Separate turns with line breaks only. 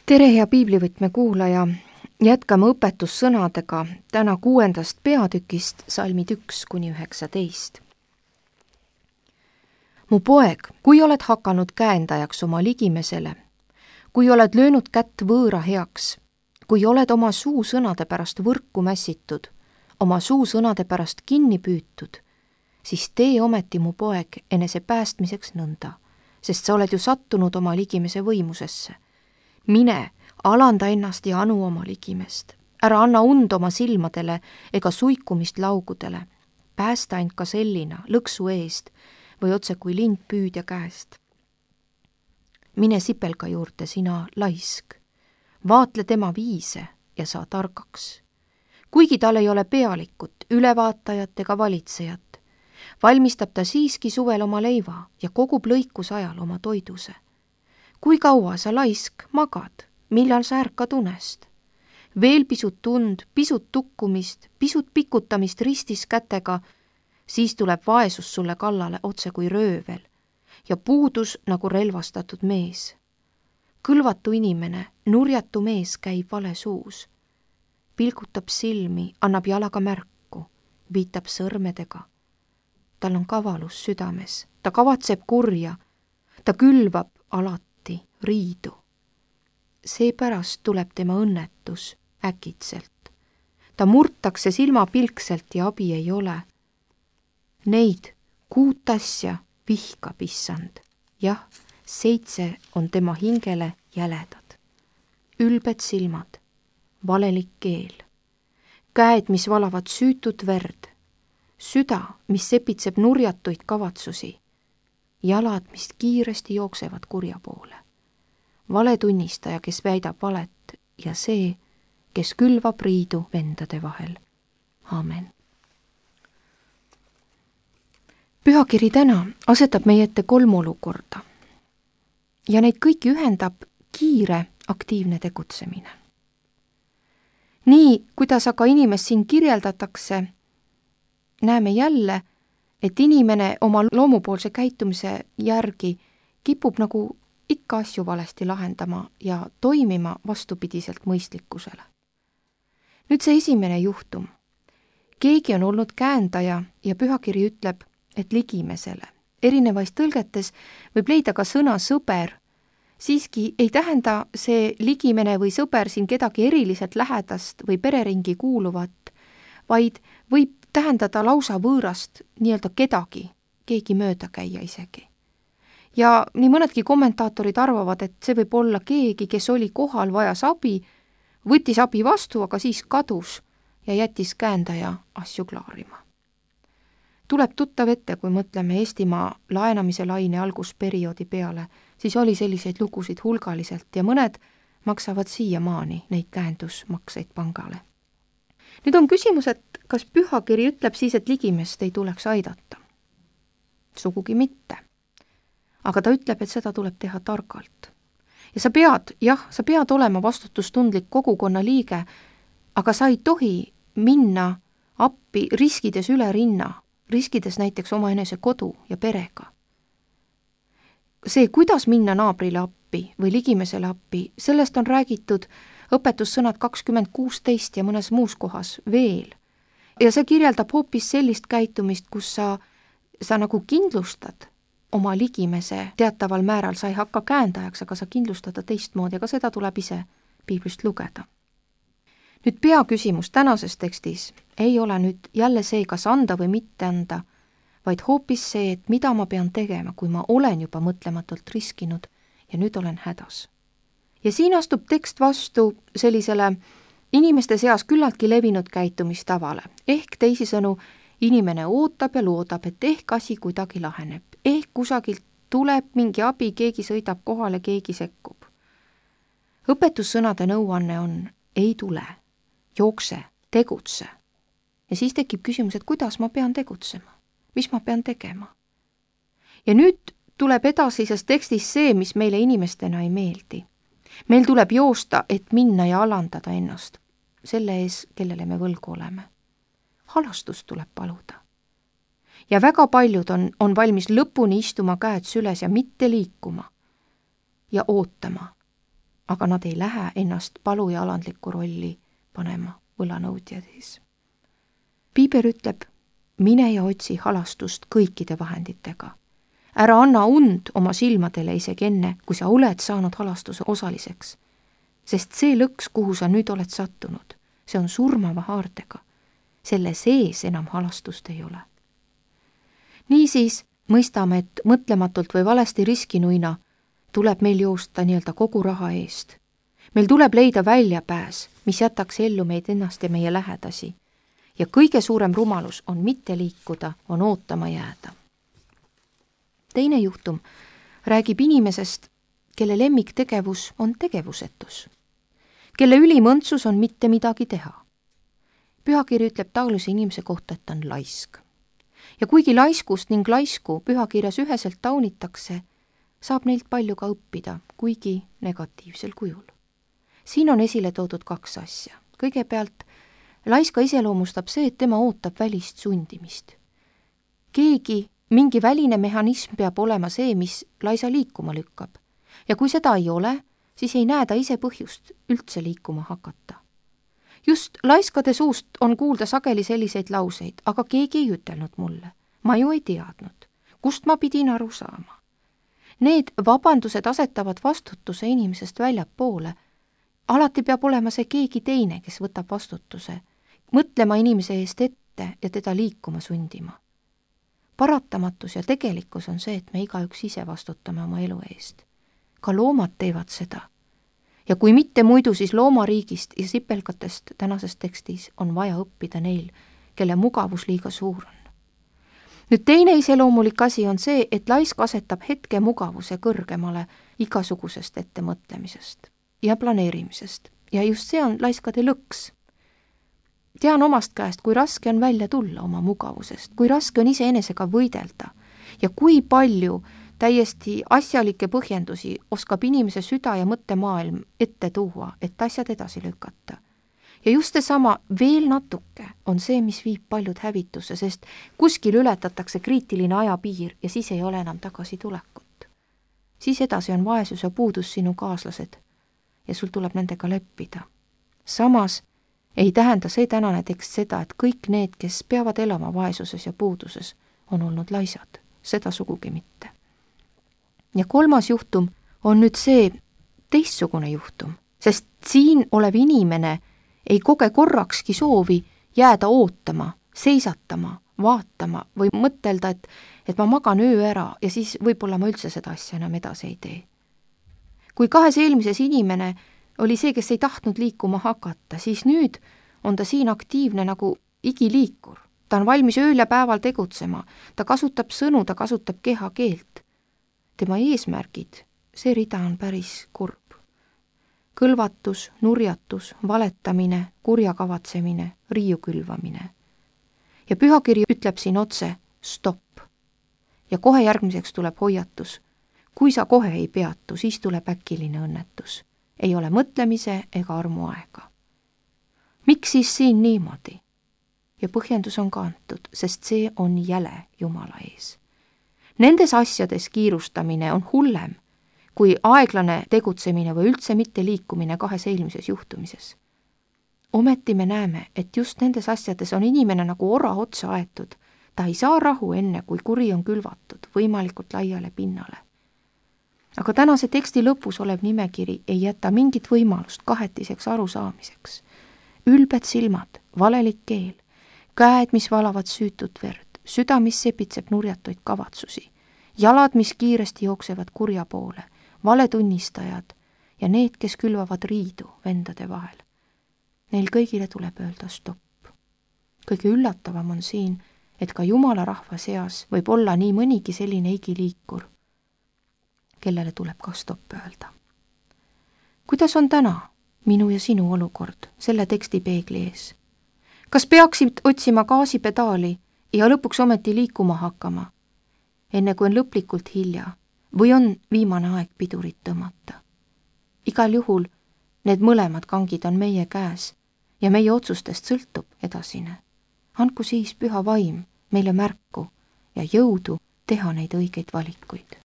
tere, hea piiblivõtme kuulaja! Jätkame õpetussõnadega täna 6. peatükist salmid 1–19. Mu poeg, kui oled hakanud käendajaks oma ligimesele, kui oled löönud kätt võõra heaks, kui oled oma suusõnade pärast võrku mässitud, oma suusõnade pärast kinni püütud, siis tee ometi, mu poeg, enese päästmiseks nõnda, sest sa oled ju sattunud oma ligimese võimusesse. Mine, alanda ennast ja anu oma ligimest. Ära anna und oma silmadele ega suikumist laugudele. Päästa end ka sellina, lõksu eest või otse kui lind püüdja käest. Mine sipelga juurde, sina laisk. Vaatle tema viise ja saa targaks. Kuigi tal ei ole pealikut, ülevaatajat ega valitsejat, valmistab ta siiski suvel oma leiva ja kogub lõikusajal oma toiduse. Kui kaua sa laisk magad, millal sa ärkad unest? Veel pisut tund, pisut tukkumist, pisut pikutamist ristis kätega, siis tuleb vaesus sulle kallale otse kui röövel ja puudus nagu relvastatud mees. Kõlvatu inimene, nurjatu mees käib vale suus. Pilgutab silmi, annab jalaga märku, viitab sõrmedega. Tal on kavalus südames, ta kavatseb kurja, ta külvab alati riidu. Seepärast tuleb tema õnnetus äkitselt. Ta murtakse silmapilkselt ja abi ei ole. Neid 6 asja vihkab issand. Jah, 7 on tema hingele jäledad. Ülbed silmad, valelik keel, käed, mis valavad süütut verd, süda, mis sepitseb nurjatuid kavatsusi, jalad, mis kiiresti jooksevad kurja poole. Valetunnistaja, kes väidab valet ja see, kes külvab riidu vendade vahel. Aamen. Pühakiri täna asetab meie ette 3 olukorda ja neid kõiki ühendab kiire aktiivne tegutsemine. Nii, kuidas aga inimest siin kirjeldatakse, näeme jälle, et inimene oma loomupoolse käitumise järgi kipub nagu ikka asju valesti lahendama ja toimima vastupidiselt mõistlikkusele. Nüüd see esimene juhtum. Keegi on olnud käendaja ja pühakiri ütleb, et ligimesele. Erinevais tõlgetes võib leida ka sõna sõber. Siiski ei tähenda see ligimene või sõber siin kedagi eriliselt lähedast või pereringi kuuluvat, vaid võib tähendada lausa võõrast nii-öelda kedagi, keegi mööda käia isegi. Ja nii mõnedki kommentaatorid arvavad, et see võib olla keegi, kes oli kohal, vajas abi, võttis abi vastu, aga siis kadus ja jättis käendaja asju klaarima. Tuleb tuttav ette, kui mõtleme Eestimaa laenamise laine algusperioodi peale, siis oli selliseid lugusid hulgaliselt ja mõned maksavad siiamaani neid käendusmakseid pangale. Nüüd on küsimus, et kas pühakiri ütleb siis, et ligimest ei tuleks aidata? Sugugi mitte. Aga ta ütleb, et seda tuleb teha targalt. Ja sa pead olema vastutustundlik kogukonna liige, aga sa ei tohi minna appi riskides üle rinna, riskides näiteks omaenese kodu ja perega. See, kuidas minna naabrile appi või ligimesele appi, sellest on räägitud õpetussõnad 2016 ja mõnes muus kohas veel. Ja see kirjeldab hoopis sellist käitumist, kus sa nagu kindlustad oma ligimese teataval määral, sa ei hakka käendajaks, aga sa kindlustada teistmoodi, aga seda tuleb ise piiblist lugeda. Nüüd peaküsimus tänases tekstis ei ole nüüd jälle see, kas anda või mitte anda, vaid hoopis see, et mida ma pean tegema, kui ma olen juba mõtlematult riskinud ja nüüd olen hädas. Ja siin astub tekst vastu sellisele inimeste seas küllaltki levinud käitumistavale, ehk teisisõnu, inimene ootab ja loodab, et ehk asi kuidagi laheneb, ehk kusagilt tuleb mingi abi, keegi sõidab kohale, keegi sekkub. Õpetussõnade nõuanne on, ei tule, jookse, tegutse. Ja siis tekib küsimus, et kuidas ma pean tegutsema, mis ma pean tegema. Ja nüüd tuleb edasises tekstis see, mis meile inimestena ei meeldi. Meil tuleb joosta, et minna ja alandada ennast, selle ees, kellele me võlgu oleme. Halastust tuleb paluda. Ja väga paljud on valmis lõpuni istuma käed süles ja mitte liikuma ja ootama, aga nad ei lähe ennast palu ja alandlikku rolli panema võlanõudjad ees. Piiber ütleb, mine ja otsi halastust kõikide vahenditega. Ära anna und oma silmadele isegi enne, kui sa oled saanud halastuse osaliseks, sest see lõks, kuhu sa nüüd oled sattunud, see on surmava haardega. Selle sees enam halastust ei ole. Niisiis mõistame, et mõtlematult või valesti riskinuina tuleb meil joosta nii-öelda kogu raha eest. Meil tuleb leida väljapääs, mis jätaks ellu meid ennast ja meie lähedasi. Ja kõige suurem rumalus on mitte liikuda, on ootama jääda. Teine juhtum räägib inimesest, kelle lemmiktegevus on tegevusetus, kelle ülimõntsus on mitte midagi teha. Pühakiri ütleb taolise inimese kohta, et ta on laisk. Ja kuigi laiskust ning laisku pühakirjas üheselt taunitakse, saab neilt palju ka õppida, kuigi negatiivsel kujul. Siin on esile toodud 2 asja. Kõigepealt, laiska iseloomustab see, et tema ootab välist sundimist. Mingi väline mehhanism peab olema see, mis laisa liikuma lükkab. Ja kui seda ei ole, siis ei näe ta ise põhjust üldse liikuma hakata. Just laiskade suust on kuulda sageli selliseid lauseid, aga keegi ei ütelnud mulle. Ma ju ei teadnud. Kust ma pidin aru saama? Need vabandused asetavad vastutuse inimesest väljapoole. Alati peab olema see keegi teine, kes võtab vastutuse, mõtlema inimese eest ette ja teda liikuma sundima. Paratamatus ja tegelikkus on see, et me igaüks ise vastutame oma elu eest. Ka loomad teevad seda. Ja kui mitte muidu, siis loomariigist ja sipelgatest tänases tekstis on vaja õppida neil, kelle mugavus liiga suur on. Nüüd teine iseloomulik asi on see, et laisk asetab hetke mugavuse kõrgemale igasugusest ettemõtlemisest ja planeerimisest. Ja just see on laiskade lõks. Tean omast käest, kui raske on välja tulla oma mugavusest, kui raske on iseenesega võidelda ja kui palju täiesti asjalikke põhjendusi oskab inimese süda ja mõttemaailm ette tuua, et asjad edasi lükata. Ja just seesama veel natuke on see, mis viib paljud hävitusse, sest kuskil ületatakse kriitiline ajapiir ja siis ei ole enam tagasitulekut. Siis edasi on vaesus ja puudus sinu kaaslased ja sul tuleb nendega leppida. Samas ei tähenda see tänane tekst seda, et kõik need, kes peavad elama vaesuses ja puuduses, on olnud laisad. Seda sugugi mitte. Ja 3. juhtum on nüüd see teistsugune juhtum, sest siin olev inimene ei koge korrakski soovi jääda ootama, seisatama, vaatama või mõtelda, et ma magan öö ära ja siis võib-olla ma üldse seda asja enam edasi ei tee. Kui 2 eelmises inimene oli see, kes ei tahtnud liikuma hakata, siis nüüd on ta siin aktiivne nagu igiliikur. Ta on valmis ööl ja päeval tegutsema, ta kasutab sõnu, ta kasutab kehakeelt. Tema eesmärgid, see rida on päris kurb. Kõlvatus, nurjatus, valetamine, kurja kavatsemine, riiu külvamine. Ja pühakiri ütleb siin otse stopp. Ja kohe järgmiseks tuleb hoiatus. Kui sa kohe ei peatu, siis tuleb äkiline õnnetus. Ei ole mõtlemise ega armu aega. Miks siis siin niimoodi? Ja põhjendus on ka antud, sest see on jäle Jumala ees. Nendes asjades kiirustamine on hullem kui aeglane tegutsemine või üldse mitte liikumine 2 eelmises juhtumises. Ometi me näeme, et just nendes asjades on inimene nagu ora otsa aetud. Ta ei saa rahu enne, kui kuri on külvatud võimalikult laiale pinnale. Aga tänase teksti lõpus olev nimekiri ei jäta mingit võimalust kahetiseks arusaamiseks. Ülbed silmad, valelik keel, käed, mis valavad süütut verd, süda, mis sepitseb nurjatuid kavatsusi, jalad, mis kiiresti jooksevad kurja poole, valetunnistajad ja need, kes külvavad riidu vendade vahel. Neil kõigile tuleb öelda stopp. Kõige üllatavam on siin, et ka Jumala rahva seas võib olla nii mõnigi selline igiliikur, kellele tuleb ka stopp öelda. Kuidas on täna minu ja sinu olukord selle teksti peegli ees? Kas peaksid otsima gaasipedaali ja lõpuks ometi liikuma hakkama, enne kui on lõplikult hilja, või on viimane aeg pidurit tõmmata? Igal juhul need mõlemad kangid on meie käes ja meie otsustest sõltub edasine. Andku siis püha vaim meile märku ja jõudu teha neid õigeid valikuid.